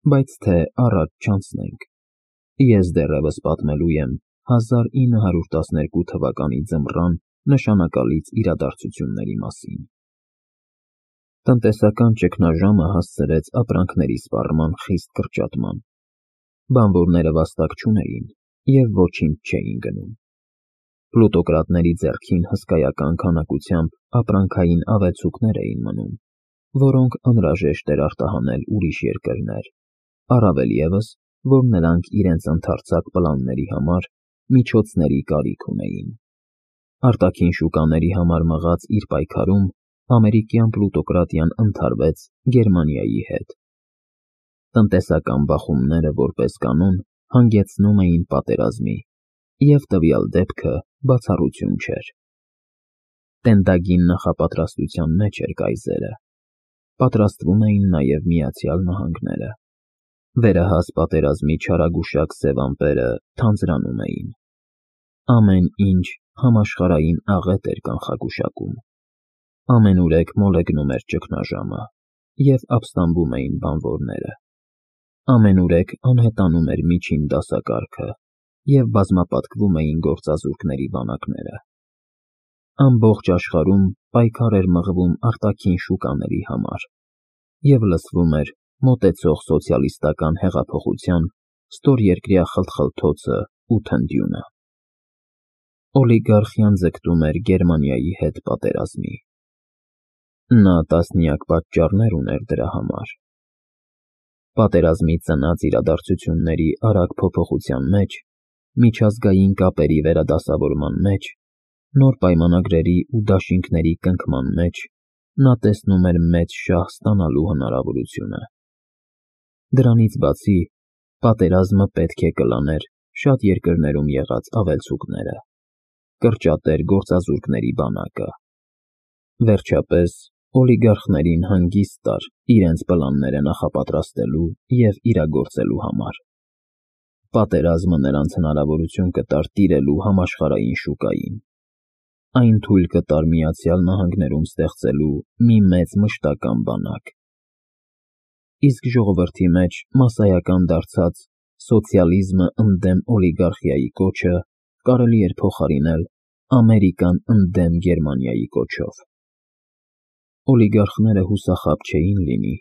Բայց թե առաջ չանցնենք, ես դեռևս պատմելու եմ 1912 թվականի ձմռան նշանակալից իրադարձությունների մասին։ Տնտեսական ճգնաժամը հասցրեց ապրանքների սպառման խիստ կրճատման։ Բանվորները վաստակ չունեին և ոչինչ չէին գնում։ Պլուտոկրատների ձեռքին հսկայական քանակությամբ ապրանքային ավելցուկներ էին մնում, որոնք անհրաժեշտ էր արտահանել ուրիշ երկրներ, առավել ևս, որ նրանք իրենց ընդարձակ պլանների համար միջոցների կարիք ունեին։ Արտաքին շուկաների համար մղած իր պայքարում ամերիկյան պլուտոկրատիան ընդհարվեց Գերմանիայի հետ։ Տնտեսական բախումները, որպես կանոն, հանգեցնում էին պատերազմի, և տվյալ դեպքը բացառություն չէր։ Տենտագին նախապատրաստության մեջ էր կայզերը։ Պատրաստվում էին նաև Միացյալ Նահանգները։ Վերահաս պատերազմի չարագուշակ սև ամպերը թանձրանում էին։ Ամեն ինչ համաշխարհային աղետ էր կանխագուշակում։ Ամենուրեք մոլեգնում էր ճգնաժամը, և ապստամբում էին բանվորները։ Ամենուրեք անհետանում էր միջին դասակարգը, և բազմապատկվում էին գործազուրկների բանակները։ Ամբողջ աշխարհում պայքար էր մղվում արտաքին շուկաների համար, և լսվում էր մոտեցող սոցիալիստական հեղափոխության ստորերկրյա խլթխլթոցն ու թնդյունը։ Օլիգարխիան ձգտում էր Գերմանիայի հետ պատերազմի։ Նա տասնյակ պատճառներ ուներ դրա համար։ Պատերազմի ծնած իրադարձությունների արագ փոփոխության մեջ, միջազգային կապերի վերադասավորման մեջ, նոր պայմանագրերի ու դաշինքների կնքման մեջ նա տեսնում էր մեծ շահ ստանալու հնարավորությունը։ Դրանից բացի, պատերազմը պետք է կլաներ շատ երկրներում եղած ավելցուկները, կրճատեր գործազուրկների բանակը։ Վերջապես, օլիգարխներին հանգիստ տար իրենց պլանները նախապատրաստելու և իրագործելու համար։ Պատերազմը նրանց հնարավորություն կտար տիրելու համաշխարհային շուկային։ Այն թույլ կտար Միացյալ Նահանգներում ստեղծելու մի մեծ մշտական բանակ։ Իսկ ժողովրդի մեջ մասսայական դարձած «սոցիալիզմը ընդդեմ օլիգարխիայի» կոչը կարելի էր փոխարինել «Ամերիկան ընդդեմ Գերմանիայի» կոչով։ Օլիգարխները հուսախաբ չէին լինի,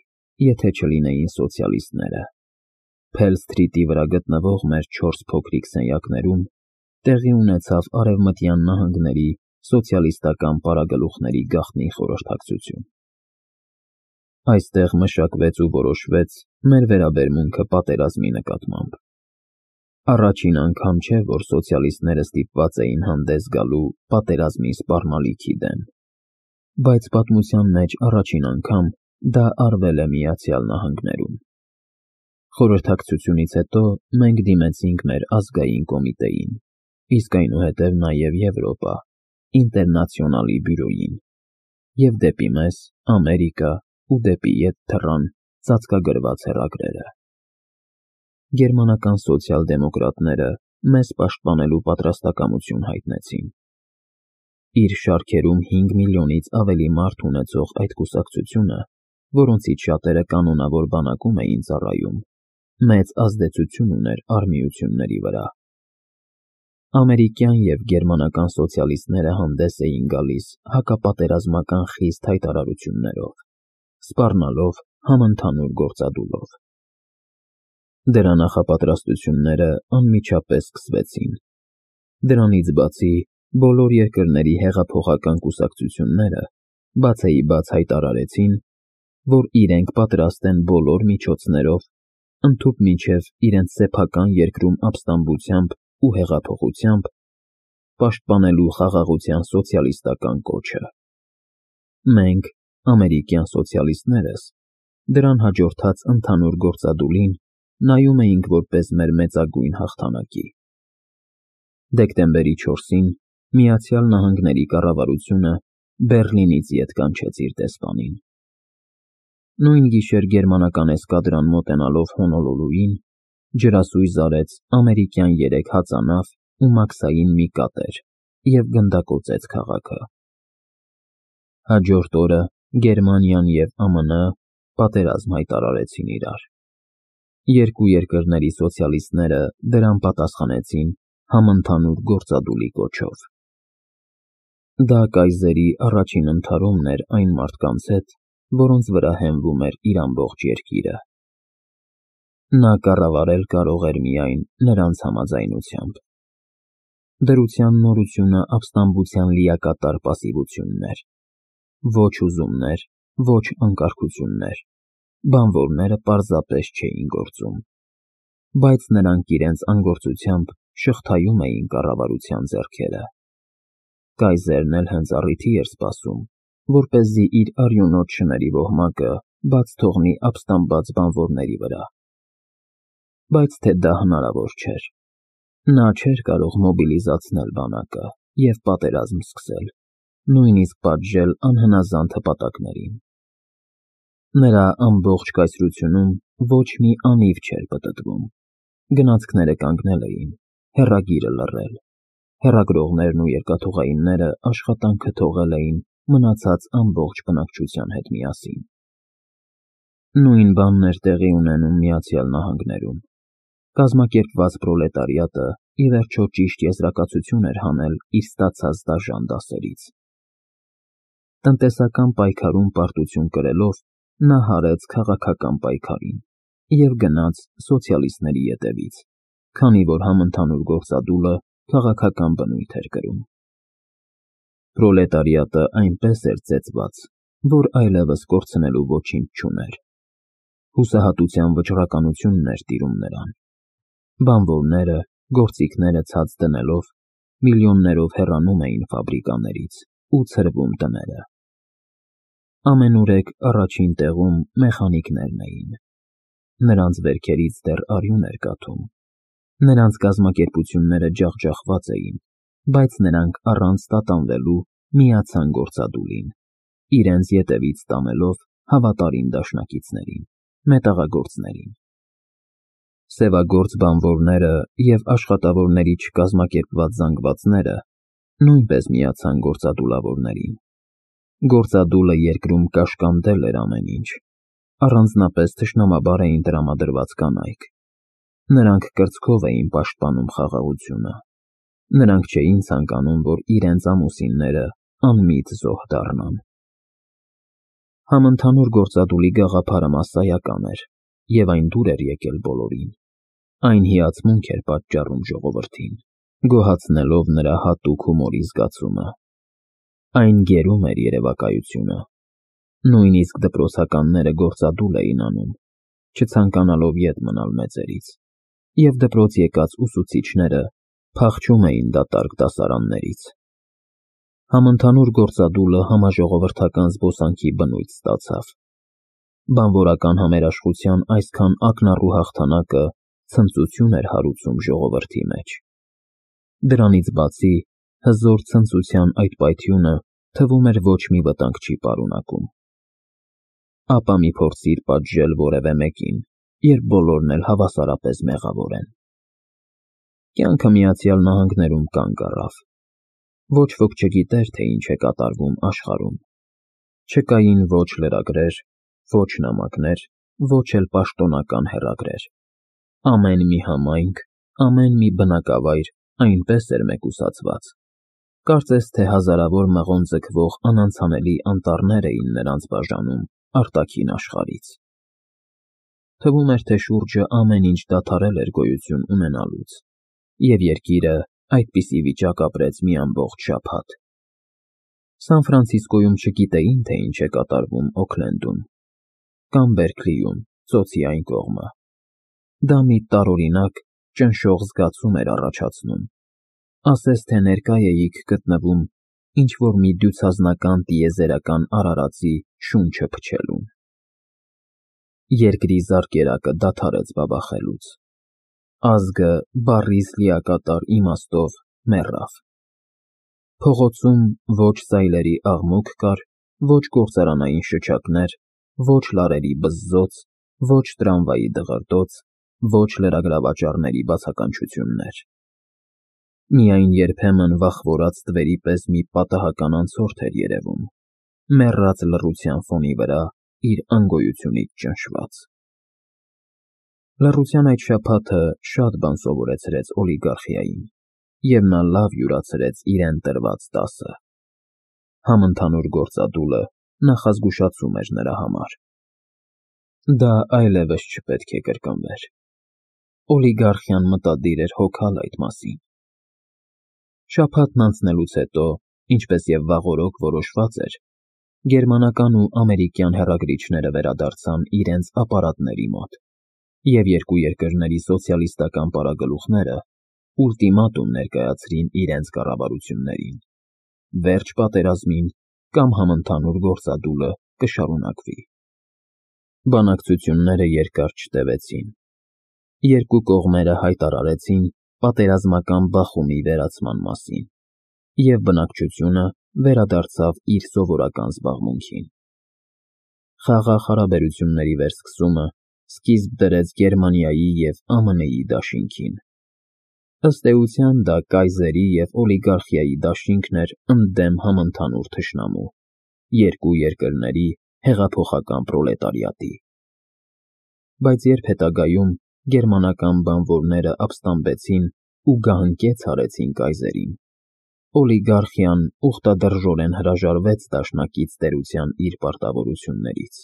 եթե չլինեին սոցիալիստները։ Փել Սթրիթի վրա գտնվող մեր 4 փոքրիկ սենյակներում տեղի ունեցավ Արևմտյան նահանգների սոցիալիստական պարագլուխների գաղտնի խորհրդակցություն։ Այստեղ մշակվեց ու որոշվեց մեր վերաբերմունքը պատերազմի նկատմամբ։ Առաջին անգամ չէ, որ սոցիալիստները ստիպված էին հանդես գալու պատերազմի սպառնալիքի դեմ, բայց պատմության մեջ առաջին անգամ դա արվել է Միացյալ Նահանգներում։ Խորհրդակցությունից հետո մենք դիմեցինք մեր ազգային կոմիտեին, իսկ այնուհետև նաև Եվրոպա, Ինտերնացիոնալի բյուրոյին, և դեպի մեզ, Ամերիկա ու դեպի ետ թռան ծածկագրված հեռագրերը։ Գերմանական սոցիալ֊դեմոկրատները մեզ պաշտպանելու պատրաստակամություն հայտնեցին։ Իր շարքերում 5 միլիոնից ավելի մարդ ունեցող այդ կուսակցությունը, որոնցից շատերը կանոնավոր բանակում էին ծառայում, մեծ ազդեցություն ուներ արհմիությունների վրա։ Ամերիկյան և գերմանական սոցիալիստները հանդես էին գալիս հակապատերազմական խիստ հայտարարություններով, սպառնալով համընդհանուր գործադուլով։ Դրա նախապատրաստությունները անմիջապես սկսվեցին։ Դրանից բացի, բոլոր երկրների հեղափոխական կուսակցությունները բացեիբաց հայտարարեցին, որ իրենք պատրաստ են բոլոր միջոցներով, ընդհուպ մինչև իրենց սեփական երկրում ապստամբությամբ ու հեղափոխությամբ, պաշտպանելու խաղաղության սոցիալիստական կոչը։ Մենք, ամերիկյան սոցիալիստներս, դրան հաջորդած ընդհանուր գործադուլին նայում էինք որպես մեր մեծագույն հաղթանակի։ Դեկտեմբերի 4-ին Միացյալ Նահանգների կառավարությունը Բեռլինից ետ կանչեց իր դեսպանին։ Նույն գիշեր գերմանական էսկադրան մոտենալով Հոնոլուլուին, ջրասույզ արեց ամերիկյան 3 հածանավ ու մաքսային մի կատեր և գնդակոծեց քաղաքը։ Հաջորդ օրը Գերմանիան և ԱՄՆ պատերազմ հայտարարեցին իրար։ Երկու երկրների սոցիալիստները դրան պատասխանեցին համընդհանուր գործադուլի կոչով։ Դա կայզերի առաջին ընդհարումն էր այն մարդկանց հետ, որոնց վրա հենվում էր իր ամբողջ երկիրը։ Նա կառավարել կարող էր միայն նրանց համաձայնությամբ։ Դրության նորությունը ապստամբության լիակատար պասիվությունն էր։ Ոչ ուզումներ, ոչ անկարգություններ, բանվորները պարզապես չէին գործում, բայց նրանք իրենց անգործությամբ շղթայում էին կառավարության ձեռքերը։ Կայզերն էլ հենց առիթի էր սպասում, որպեսզի իր արյունոտ շների ոհմակը բաց թողնի ապստամբած բանվորների վրա։ Բայց թե դա հնարավոր չէր։ Նա չէր կարող մոբիլիզացնել բանակը և պատերազմ սկսել, նույնիսկ պատժել անհնազանդ հպատակներին։ Նրա ամբողջ կայսրությունում ոչ մի անիվ չէր պտտվում։ Գնացքները կանգնել էին, հեռագիրը լռել, հեռագրողներն ու երկաթուղայինները աշխատանքը թողել էին մնացած ամբողջ բնակչության հետ միասին։ Նույն բանն էր տեղի ունենում Միացյալ Նահանգներում։ Կազմակերպված պրոլետարիատը ի վերջո ճիշտ եզրակացություն էր հանել իր ստացած դաժան դասերից։ Տնտեսական պայքարում պարտություն կրելով նա հարեց քաղաքական պայքարին և գնաց սոցիալիստների ետևից, քանի որ համընդհանուր գործադուլը քաղաքական բնույթ էր կրում։ Պրոլետարիատը այնպես էր ծեծված, որ այլևս կորցնելու ոչինչ չուներ։ Հուսահատության վճռականությունն էր տիրում նրան։ Բանվորները, գործիքները ցած դնելով, միլիոններով հեռանում էին ֆաբրիկաներից ու ցրվում տները։ Ամենուրեք առաջին տեղում մեխանիկներն էին։ Նրանց վերքերից դեռ արյուն էր կաթում։ Նրանց կազմակերպությունները ջախջախված էին, բայց նրանք առանց տատանվելու միացան գործադուլին, իրենց ետևից տանելով հավատարիմ դաշնակիցներին, մետաղագործներին։ Սևագործ բանվորները և աշխատավորների չկազմակերպված զանգվածները նույնպես միացան գործադուլավորներին։ Գործադուլը երկրում կաշկանդել էր ամեն ինչ, առանձնապես թշնամաբար էին տրամադրված կանայք։ Նրանք կրծքով էին պաշտպանում խաղաղությունը։ Նրանք չէին ցանկանում, որ իրենց ամուսինները անմիտ զոհ դառնան։ Համընդհանուր գործադուլի գաղափարը մասսայական էր, և այն դուր էր եկել բոլորին։ Այն հիացմունք էր պատճառում ժողովրդին, գոհացնելով նրա հատուկ հումորի զգացումը։ Այն գերում էր երևակայությունը։ Նույնիսկ դպրոցականները գործադուլ էին անում, չցանկանալով ետ մնալ մեծերից, և դպրոց եկած ուսուցիչները փախչում էին դատարկ դասարաններից։ Համընդհանուր գործադուլը համաժողովրդական զբոսանքի բնույթ ստացավ։ Բանվորական համերաշխության այսքան ակնառու հաղթանակը ցնծություն էր հարուցում ժողովրդի մեջ։ Դրանից բացի, հզոր ցնծության այդ պայթյունը թվում էր ոչ մի վտանգ չի պարունակում։ Ապա մի փորձիր պատժել որևէ մեկին, երբ բոլորն էլ հավասարապես մեղավոր են։ Կյանքը Միացյալ Նահանգներում կանգ առավ։ Ոչ ոք չգիտեր, թե ինչ է կատարվում աշխարհում։ Չկային ոչ լրագրեր, ոչ նամակներ, ոչ էլ պաշտոնական հեռագրեր։ Ամեն մի համայնք, ամեն մի բնակավայր այնպես էր մեկուսացված, կարծես թե հազարավոր մղոն ձգվող անանցանելի անտառներ էին նրանց բաժանում արտաքին աշխարհից։ Թվում էր, թե շուրջը ամեն ինչ դադարել էր գոյություն ունենալուց, և երկիրը այդպիսի վիճակ ապրեց մի ամբողջ շաբաթ։ Սան Ֆրանցիսկոյում չգիտեին, թե ինչ է կատարվում Օքլենդում կամ Բերքլիում, ծոցի այն կողմը։ Դա մի տարօրինակ, ճնշող զգացում էր առաջացնում, ասես թե ներկա էիք գտնվում ինչ-որ մի դյուցազնական տիեզերական արարածի շունչը փչելուն։ Երկրի զարկերակը դադարեց բաբախելուց։ Ազգը բառիս լիակատար իմաստով մեռավ։ Փողոցում ոչ սայլերի աղմուկ կար, ոչ գործարանային շչակներ, ոչ լարերի բզզոց, ոչ տրամվայի դղրդոց, ոչ լրագրավաճառների բացականչություններ։ Միայն երբեմն վախվորած թվերի պես մի պատահական անցորդ էր երևում, մեռած լռության ֆոնի վրա իր անգոյությունից ճնշված։ Լռության այդ շաբաթը շատ բան սովորեցրեց օլիգարխիային, և նա լավ յուրացրեց իրեն տրված դասը։ Համընդհանուր գործադուլը նախազգուշացում էր նրա համար։ Դա այլևս չպետք է կրկնվեր։ Օլիգարխիան մտադիր էր հոգալ այդ մասին։ Շաբաթն անցնելուց հետո, ինչպես և վաղօրոք որոշված էր, գերմանական ու ամերիկյան հեռագրիչները վերադարձան իրենց ապարատների մոտ, և երկու երկրների սոցիալիստական պարագլուխները ուլտիմատում ներկայացրին իրենց կառավարություններին. վերջ պատերազմին կամ համընդհանուր գործադուլը կշարունակվի։ Բանակցությունները երկար չտևեցին։ Երկու կողմերը հայտարարեցին պատերազմական բախումի վերացման մասին, և բնակչությունը վերադարձավ իր սովորական զբաղմունքին։ Խաղաղ հարաբերությունների վերսկսումը սկիզբ դրեց Գերմանիայի և ԱՄՆ-ի դաշինքին։ Ըստ էության դա կայզերի և օլիգարխիայի դաշինքն էր ընդդեմ համընդհանուր թշնամու՝ երկու երկրների հեղափոխական պրոլետարիատի։ Բայց երբ հետագայում գերմանական բանվորները ապստամբեցին ու գահընկեց արեցին կայզերին, օլիգարխիան ուխտադրժորեն հրաժարվեց դաշնակից տերության իր պարտավորություններից։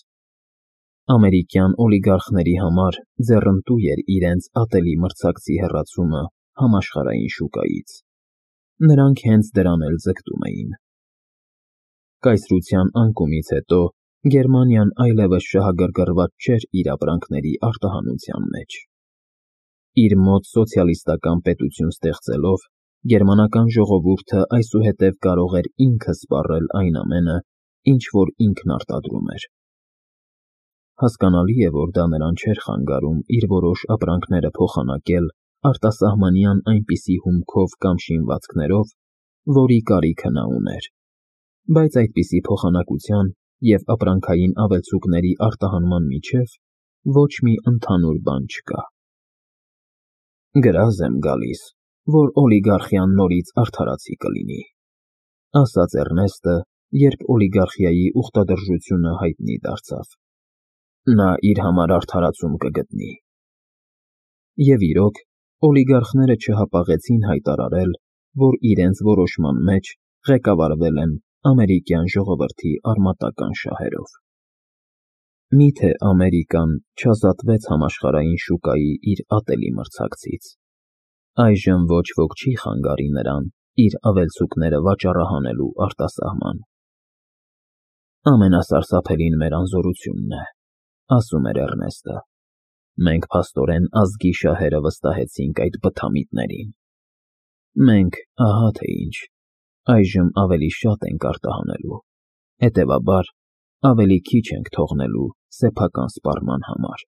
Ամերիկյան օլիգարխների համար ձեռնտու էր իրենց ատելի մրցակցի հեռացումը համաշխարհային շուկայից։ Նրանք հենց դրան էլ ձգտում էին։ Կայսրության անկումից հետո Գերմանիան այլևս շահագրգռված չէր իր ապրանքների արտահանության մեջ։ Իր մոտ սոցիալիստական պետություն ստեղծելով, գերմանական ժողովուրդը այսուհետև կարող էր ինքը սպառել այն ամենը, ինչ որ ինքն արտադրում էր։ Հասկանալի է, որ դա նրան չէր խանգարում իր որոշ ապրանքները փոխանակել արտասահմանյան այնպիսի հումքով կամ շինվածքներով, որի կարիքը նա ուներ, բայց այդպիսի փոխանակության և ապրանքային ավելցուկների արտահանման միջև ոչ մի ընդհանուր բան չկա։ «Գրազ եմ գալիս, որ օլիգարխիան նորից արդարացի կլինի», ասաց Էռնեստը, երբ օլիգարխիայի ուխտադրժությունը հայտնի դարձավ։ «Նա իր համար արդարացում կգտնի»։ Եվ իրոք, օլիգարխները չհապաղեցին հայտարարել, որ իրենց որոշման մեջ ղեկավարվել են ամերիկյան ժողովրդի արմատական շահերով։ Մի՞թե Ամերիկան չազատվեց համաշխարհային շուկայի իր ատելի մրցակցից։ Այժմ ոչ ոք չի խանգարի նրան իր ավելցուկները վաճառահանելու արտասահման։ «Ամենասարսափելին մեր անզորությունն է», ասում էր Էռնեստը։ «Մենք փաստորեն ազգի շահերը վստահեցինք այդ բթամիտներին։ Մենք, ահա թե ինչ, այժմ ավելի շատ ենք արտահանելու, հետևաբար, ավելի քիչ ենք թողնելու սեփական սպառման համար»։